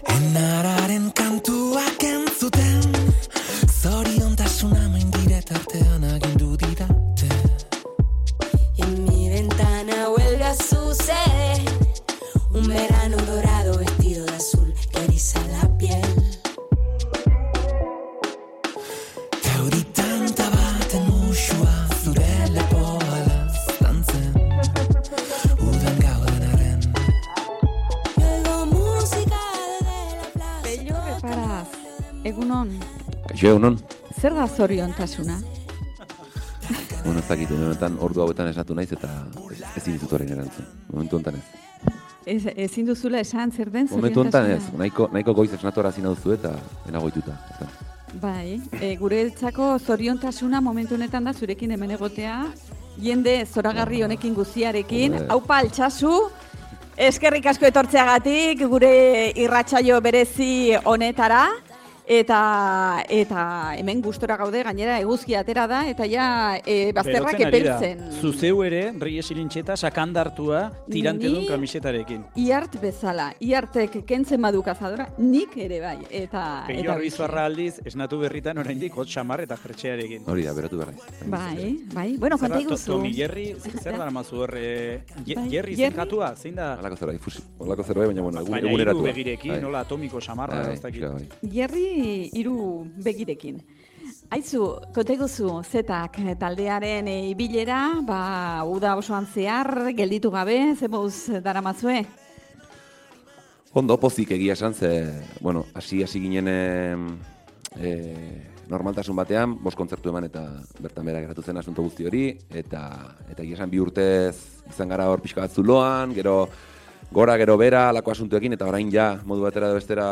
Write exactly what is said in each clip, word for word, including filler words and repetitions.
Enararen kantuak entzuten, zoriontasuna maindire tartean agindu didate. En mi ventana huelga sucede, un verano dorado vestido de azul que eriza la piel. Gauri tanta baten musua zure lepoa laztantzen, udan gaudenaren. Oigo música desde la plaza. Pello Reparaz, egunon, Kaixo, egunon? zer da zoriontasuna? Bueno, ez dakit, momentan ordu hauetan esnatu naiz eta ez, ezin ditut orain erantzun. Momentu honetan ez. Ez, ezin duzula esan zer den Momentu honetan zoriontasuna? ez, nahiko, nahiko goiz esnatu arazi nauzu eta enagoituta. Bai, e, guretzako zoriontasuna momentu honetan da zurekin hemen egotea, jende zoragarri honekin guztiarekin, Joder. aupa altsasu, eskerrik asko etortzeagatik gure irratsaio berezi honetara, eta eta hemen gustora gaude, gainera eguzkia atera da, eta ja e, bazterrak Berotzen ari da. epeltzen. Zuzeu ere, Reyes Irintxeta sakandartua tirantedun Ni- kamisetarekin. Iart bezala, iartek kentzen badu kazadora, nik ere bai, eta... Peio eta Arbizarra aldiz, esnatu berritan oraindik hot xamar eta jertxearekin. Hori da, beratu berraiz. Bai, bai, bueno, Zer da, konta to- iguzu. Tomi Jerry, zer dara mazu hor, eh, Ye- Bai, Jerry Jerry? zenkatua, zein da? Halako zerbait, fusi. Halako zerbait, baina bueno, egun, Baina hiru eguneratu. begirekin, nola atomiko samarra, Bai, ez dakit. pixka, bai. Jerry hiru begirekin. Aizu, konteguzu zetak taldearen e, ibilera, ba, uda osoan zehar, gelditu gabe, zemuz daramazue? Ondo, pozik egia esan, ze, bueno, hasi hasi ginen e, e, normaltasun batean, bost kontzertu eman eta bertan bera geratu zen asunto guzti hori, eta eta egia esan bi urtez izan gara hor pixka bat zuloan, gero gora, gero bera, alako asuntuekin, eta orain ja, modu batera edo bestera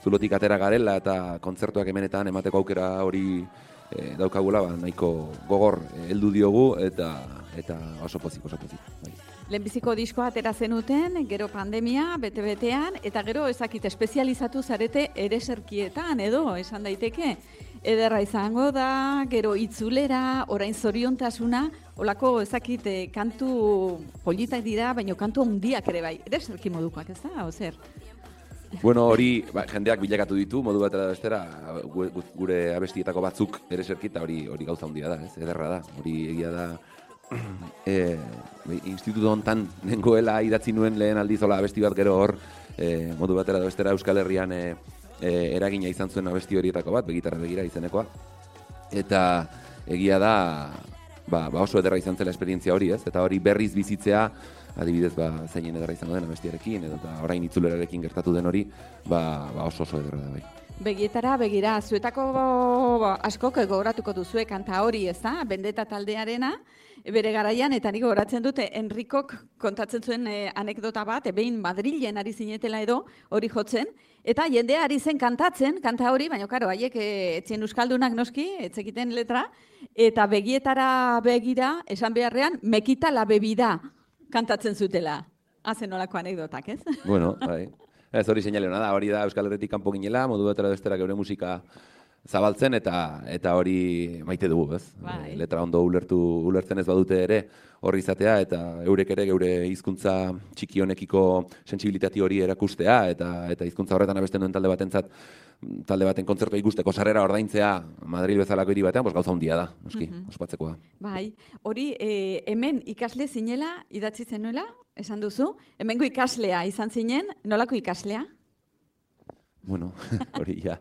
zulotik atera garela, eta kontzertuak hemenetan emateko aukera hori e, daukagula, ba, nahiko gogor e, heldu diogu, eta eta oso pozik, oso pozik. Bai. Lehenbiziko diskoa atera zenuten, gero pandemia, bete-betean, eta gero ezakit espezializatu zarete ereserkietan edo, esan daiteke. Ederra izango da, gero itzulera, orain zoriontasuna, olako ezakit eh, kantu politak dira, baina kantu handiak ere bai. Ereserki modukoak, ez da, ozer? Bueno, hori ba, jendeak bilakatu ditu, modu batera da bestera, gu- gu- gure abestietako batzuk ereserki, eta hori hori gauza handia da, ez? Ederra da, hori egia da. E, instituto hontan nengoela idatzi nuen lehen aldizola abesti bat gero hor, e, modu batera da bestera Euskal Herrian e, e, eragina izan zuen abesti horietako bat, begitarra begira izenekoa. Eta egia da, ba, ba oso ederra izan zela esperientzia hori, ez? Eta hori berriz bizitzea, adibidez, ba, zeinen ederra izango den abestiarekin, edo eta orain itzulerarekin gertatu den hori, ba, ba oso oso ederra da bai. Begietara, begira, zuetako askok gogoratuko duzue kanta hori, ez da? Bendeta taldearena, bere garaian, eta nik gogoratzen dute, Enrikok kontatzen zuen eh, anekdota bat, behin Madrilen ari zinetela edo hori jotzen, eta jendea ari zen kantatzen, kanta hori, baina karo, haiek eh, etzien euskaldunak noski, etzekiten letra, eta begietara begira, esan beharrean, mekita la bebida kantatzen zutela. Hazen nolako anekdotak, ez? Bueno, bai. Ez hori seinale hona da, hori da Euskal Herritik kanpo ginela, modu batera bestera geure musika zabaltzen eta eta hori maite dugu, ez? Bai. E, letra ondo ulertu ulertzen ez badute ere horri izatea eta eurek ere geure hizkuntza txiki honekiko sentsibilitati hori erakustea eta eta hizkuntza horretan abesten duen talde batentzat talde baten kontzertua ikusteko sarrera ordaintzea Madril bezalako hiri batean, pues gauza handia da, noski, Mhm. ospatzekoa. Bai, hori e, hemen ikasle zinela, idatzi zenuela, esan duzu, hemengo ikaslea izan zinen, nolako ikaslea? Bueno, hori ja.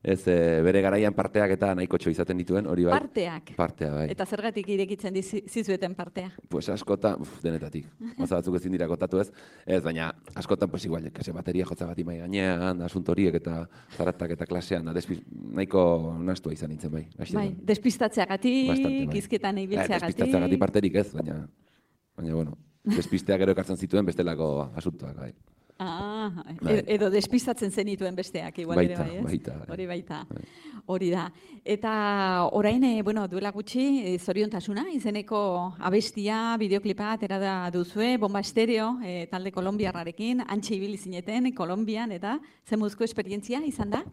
Ez, e, bere garaian parteak eta nahikotxo izaten dituen, hori bai. Parteak. Partea, bai. Eta zergatik irekitzen dizi- zizueten partea? Pues askotan, uf, denetatik. Gauza batzuk ezin dira kontatu ez. Ez, baina askotan, pues igual, kase bateria jotza bat imai gainean, asunto horiek eta zaratak eta klasean, da, despiz, nahiko nastua izan nintzen, bai. Haxi Bai, da. despistatzeagatik, Bastante, bai. hizketan Eh, ibiltzeagatik. despistatzeagatik parterik ez, baina, baina, bueno, despisteak gero ekartzen zituen bestelako asuntoak, bai. Ah, Bai. edo, edo despistatzen zenituen besteak, igual ere Baita, bai, ez? baita, bai. Hori baita. Bai. Hori da. Eta orain, eh, bueno, duela gutxi, eh, zoriontasuna, izeneko abestia, bideoklipa atera da duzue, Bomba Estereo, eh, talde kolombiarrarekin, antxe ibili zineten, Kolombian, eta zemuzko esperientzia izan da?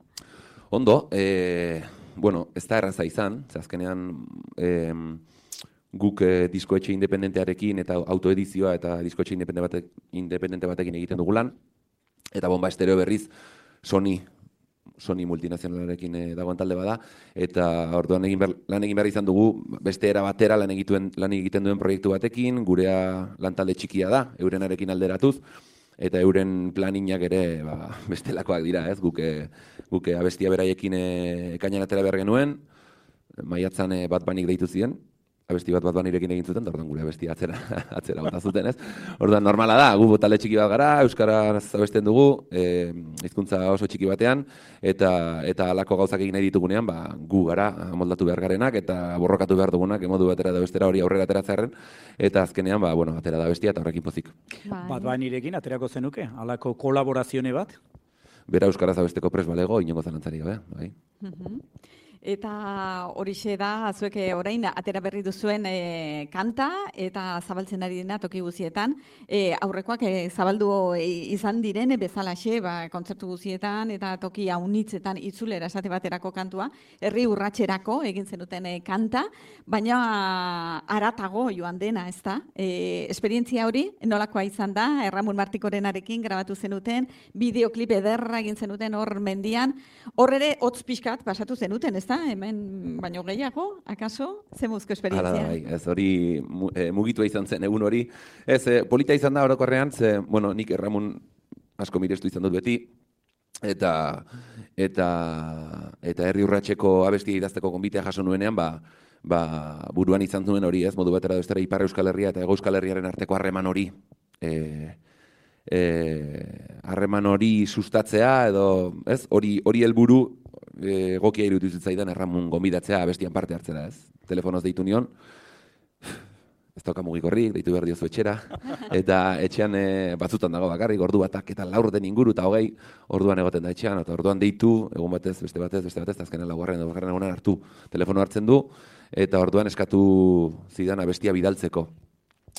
Ondo, e, bueno, ez da erraza izan, ze azkenean, e, guk e, diskoetxe independentearekin eta autoedizioa eta diskoetxe independente, batek, independente batekin egiten dugu lan. Eta Bomba Estereo berriz Sony, Sony multinazionalarekin e, dagoen talde bada. Eta orduan egin ber, lan egin behar izan dugu beste era batera lan egiten, lan egiten duen proiektu batekin, gurea lantalde txikia da, eurenarekin alderatuz. Eta euren planinak ere ba, bestelakoak dira, ez? Guke, guke abestia beraiekin e, ekainan atera behar genuen, maiatzan e, bat banik deitu ziren, abesti bat bat banirekin egin zuten, da orduan gure abestia atzera, atzera bota zuten, ez? Orduan normala da, gu talde txiki bat gara, euskaraz abesten dugu, e, hizkuntza oso txiki batean, eta eta halako gauzak egin nahi ditugunean, ba, gu gara moldatu behar garenak, eta borrokatu behar dugunak, emodu batera da bestera hori aurrera ateratzearen, eta azkenean, ba, bueno, atera da bestia eta horrekin pozik. Bat banirekin aterako zenuke, halako kolaborazione bat? Bera euskaraz abesteko pres balego, inongo zalantzari gabe, bai. Eta horixe da, zuek orain atera berri duzuen e, kanta eta zabaltzen ari dena toki guzietan. E, aurrekoak e, zabaldu e, izan diren bezalaxe, ba, kontzertu guzietan eta toki haunitzetan itzulera esate baterako kantua, herri urratxerako egin zenuten e, kanta, baina aratago joan dena, ez da? E, esperientzia hori nolakoa izan da, Erramun Martikorenarekin grabatu zenuten, bideoklip ederra egin zenuten hor mendian, hor ere hotz pixkat pasatu zenuten, ez da? Hemen baino gehiago, akaso, ze muzko esperientzia? Hala, bai, ez hori mugitua izan zen egun hori. Ez, e, polita izan da orokorrean, ze, bueno, nik Erramun asko mirestu izan dut beti, eta eta eta herri urratseko abestia idazteko gonbitea jaso nuenean, ba, ba, buruan izan zuen hori, ez, modu batera bestera Ipar Euskal Herria eta Hego Euskal Herriaren arteko harreman hori, e, harreman e, hori sustatzea, edo, ez, hori hori helburu egokia e, iruditu zitzaidan Erramun gonbidatzea abestian parte hartzera, ez? Telefonoz deitu nion, ez dauka mugikorrik, deitu behar diozu etxera, eta etxean e, batzutan dago bakarrik, ordu batak eta laurden inguru eta hogei, orduan egoten da etxean, eta orduan deitu, egun batez, beste batez, beste batez, azkenean laugarren, laugarren egunan hartu, telefono hartzen du, eta orduan eskatu zidan abestia bidaltzeko.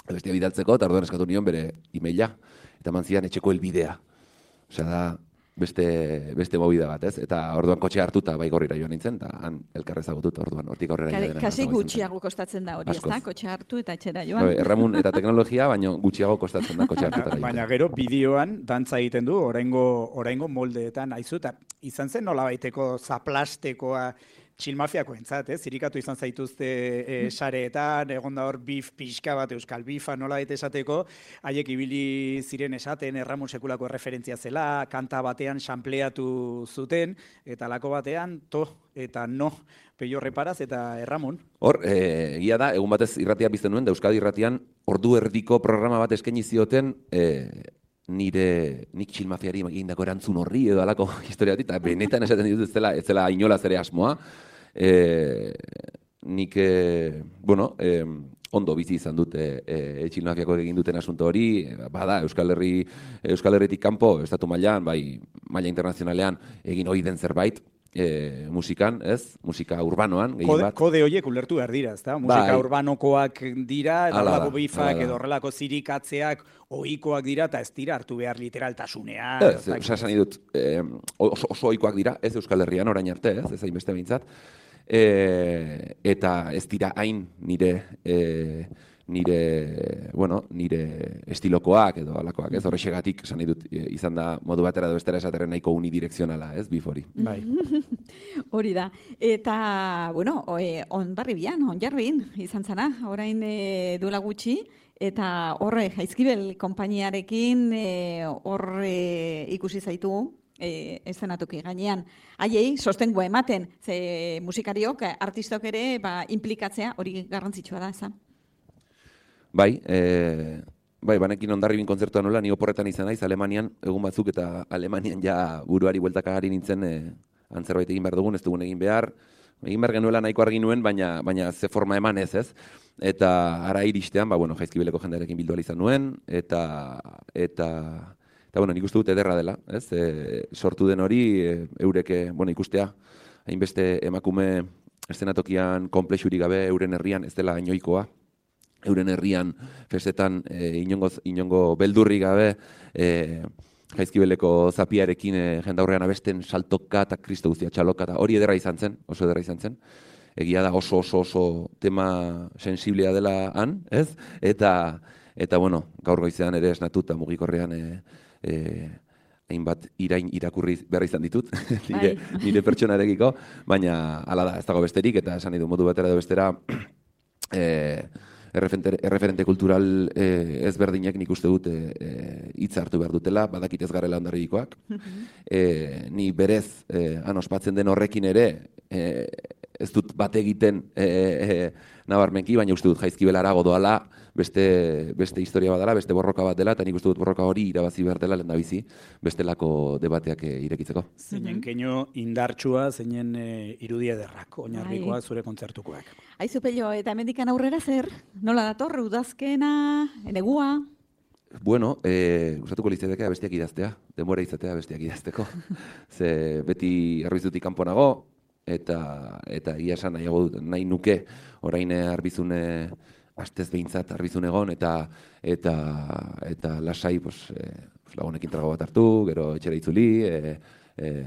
Abestia bidaltzeko, eta orduan eskatu nion bere e-maila, eta eman zidan etxeko helbidea. Osea da, beste, beste movida bat, ez? Eta orduan kotxe hartuta bai gorrira joan nintzen, eta han elkarrez agutut orduan, hortik aurrera joan. Kasi gutxiago kostatzen da hori, ez da? Kotxe hartu eta etxera joan. Erramun eta teknologia, baino gutxiago kostatzen da kotxe hartuta. Baina gero bideoan dantza egiten du, oraingo, oraingo moldeetan, aizu, eta izan zen nolabaiteko zaplastekoa txilmafiako entzat, eh? Zirikatu izan zaituzte e, sareetan, egon da hor bif pixka bat, euskal bifa nola baita esateko, haiek ibili ziren esaten Erramun sekulako referentzia zela, kanta batean xampleatu zuten, eta lako batean to eta no, peio reparaz eta Erramun. Hor, egia da, egun batez irratia bizten nuen, da Euskadi irratian ordu erdiko programa bat eskaini zioten, e, nire nik txilmafiari egindako erantzun horri edo alako historiatik, eta benetan esaten ditut ez zela, ez zela inolaz ere asmoa. E, nik, e, bueno, e, ondo bizi izan dut e, e, txilmafiako egin duten asunto hori, bada, Euskal Herri, Euskal Herritik kanpo, estatu mailan, bai, maila internazionalean egin hori den zerbait, E, musikan, ez? Musika urbanoan, gehien kode, bat. Kode horiek ulertu behar dira, ezta? Musika bai. Urbanokoak dira, edo horrelako bifak, edo horrelako zirikatzeak, ohikoak dira, eta ez dira hartu behar literaltasunean. Ez, esan dut, eh, oso, oso ohikoak dira, ez Euskal Herrian orain arte, ez, ez hainbeste behintzat. E, eta ez dira hain nire... E, nire, bueno, nire estilokoak edo alakoak, ez? Horrexegatik esan nahi dut izan da modu batera edo bestera esaterren nahiko unidirekzionala, ez? Bif hori. Bai. Hori da. Eta, bueno, Onbarribian, Onjarbin izan zana, orain e, duela gutxi, eta horre Jaizkibel konpainiarekin horre e, ikusi zaitu, e, eszenatuki gainean. Haiei, sostengua ematen, ze musikariok, artistok ere, ba, implikatzea hori garrantzitsua da, ezan? Bai, e, bai, banekin Hondarribin kontzertuan nola, ni oporretan izan naiz, Alemanian, egun batzuk eta Alemanian ja buruari bueltakagari nintzen e, antzerbait egin behar dugun, ez dugun egin behar, egin behar genuela nahiko argi nuen, baina, baina ze forma eman ez, ez? Eta ara iristean, ba, bueno, Jaizkibeleko jendearekin bildu izan nuen, eta, eta, eta bueno, nik uste dut ederra dela, ez? E, sortu den hori, e, eureke, bueno, ikustea, hainbeste emakume eszenatokian konplexurik gabe euren herrian, ez dela inoikoa, euren herrian festetan e, inongo, inongo beldurri gabe e, Jaizkibeleko zapiarekin e, jendaurrean abesten saltoka eta kristo guztia txaloka eta hori ederra izan zen, oso ederra izan zen. egia da oso oso oso tema sensiblea dela han, ez? Eta, eta bueno, gaur goizean ere esnatu eta mugikorrean e, e, hainbat irain irakurri behar izan ditut, nire, nire pertsonarekiko, baina hala da, ez dago besterik, eta esan nahi du modu batera edo bestera, e, erreferente, erreferente kultural e, ezberdinek nik uste dut hitz e, hartu behar dutela, badakit ez garela ondarribikoak. E, ni berez, e, han ospatzen den horrekin ere, e, ez dut bat egiten e, e, nabarmenki, baina uste dut jaizki belara godoala, beste, beste historia bat dela, beste borroka bat dela, eta nik uste dut borroka hori irabazi behar dela lehen da bizi, bestelako debateak e, irekitzeko. Zeinen keino indartsua, zeinen e, irudia derrak, oinarrikoa zure kontzertukoak. Aizu Pello, eta hemendikan aurrera zer? Nola dator, udazkena, negua? Bueno, eh, gustatuko litzateke bestiak idaztea, denbora izatea bestiak idazteko. Ze beti Arbizutik kanpo nago, eta eta egia esan nahiago dut, nahi nuke orain Arbizune astez behintzat Arbizun egon, eta eta eta lasai pues, eh, lagunekin trago bat hartu, gero etxera itzuli, eh, E,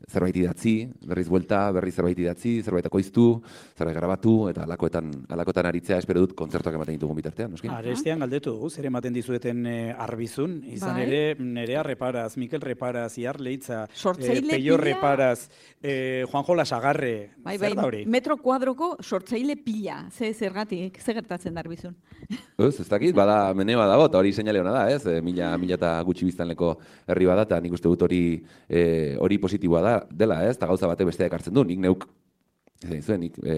zerbait idatzi, berriz buelta, berriz zerbait idatzi, zerbait akoiztu, zerbait grabatu, eta alakoetan, alakoetan aritzea espero dut kontzertuak ematen ditugun bitartean, noski? Arestian galdetu dugu, zer ematen dizueten e, Arbizun, izan bai. Ere Nerea Reparaz, Mikel Reparaz, Iar Leitza, e, Peio Reparaz, e, Juanjo Lasagarre, bai, zer bai, da hori? Metro kuadroko sortzaile pila, ze zergatik, ze gertatzen da Arbizun? Ez, ez dakit, bada menea dago, eta hori seinale hona da, ez? E, mila, mila eta gutxi biztanleko herri bada, eta nik uste dut hori e, hori positiboa da, dela, ez? Eta gauza batek bestea ekartzen du, nik neuk, ez zuen, nik e,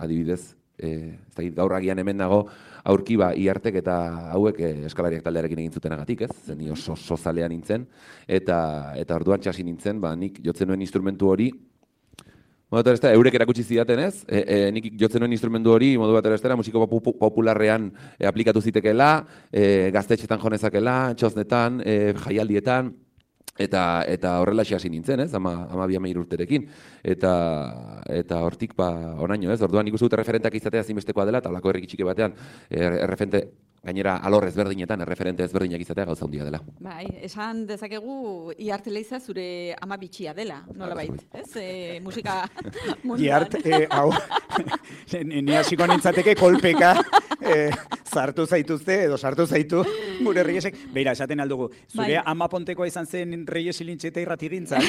adibidez, e, ez dakit, gaur agian hemen nago, aurki ba, Iartek eta hauek e, eskalariak taldearekin egin zutenagatik, ez? Zen, ni oso oso zalea nintzen, eta, eta orduan txasi nintzen, ba, nik jotzen nuen instrumentu hori, modu bat erestera, eurek erakutsi zidaten ez, e, e, nik jotzen nuen instrumentu hori, modu bat erestera, musiko popularrean e, aplikatu zitekela, e, gaztetxetan jonezakela, txosnetan, e, jaialdietan, Eta eta horrela hasi nintzen, ez? Ama ama bi hamairu urterekin. Eta eta hortik ba onaino, ez? Orduan ikusi dut erreferenteak izatea ezinbestekoa dela, eta holako herri txiki batean erreferente gainera alor ezberdinetan erreferente ezberdinak izatea gauza handia dela. Bai, esan dezakegu Iart Leiza zure ama bitxia dela, nolabait, ez? E, musika munduan. Iart, e, hau, ni hasiko nintzateke kolpeka e, sartu zaituzte edo sartu zaitu gure Reyesek. Beira, esaten aldugu, zure bai. Ama pontekoa izan zen Reyes Ilintxeta irratigintzan.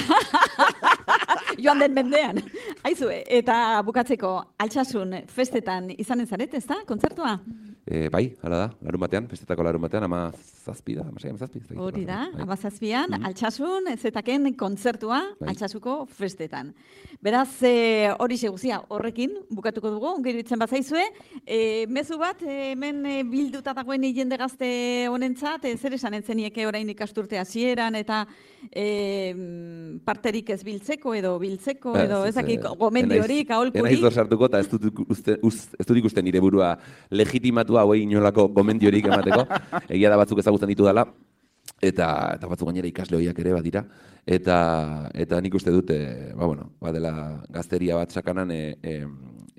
Joan den mendean. Aizu, eta bukatzeko Altsasun festetan izanen zaret, ez da, kontzertua? E, bai, hala da, larun batean, festetako larun batean, ama zazpi da, ama zazpi. Hori da, ama zazpian, mm -hmm. Altsasun, zetaken kontzertua, bai. Altsasuko festetan. Beraz, e, hori seguzia, horrekin, bukatuko dugu, gero itzen bat zaizue, e, mezu bat, e, hemen e, bilduta dagoen jende gazte honentzat, e, zer esan entzenieke orain ikasturte hasieran eta e, parterik ez biltzeko edo biltzeko, edo ezakik gomendiorik, aholkurik. Enaiz dor sartuko, eta ez dut ikusten nire burua legitimatu hauei inolako gomendiorik emateko, egia da batzuk ezagutzen ditu dela, eta, eta batzuk gainera ikasle horiak ere badira, eta, eta nik uste dut, e, ba, bueno, badela gazteria bat sakanan e, e,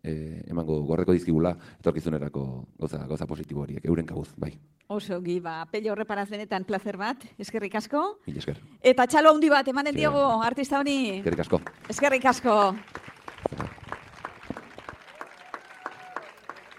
e, emango gorreko dizkigula, etorkizunerako gauza, gauza positibo horiek, euren kabuz, bai. Oso, Giba, Pello Reparaz benetan placer bat, eskerrik asko. Mil esker. Eta txalo handi bat, emanen diogu artista honi. Eskerrik asko. Eskerrik asko.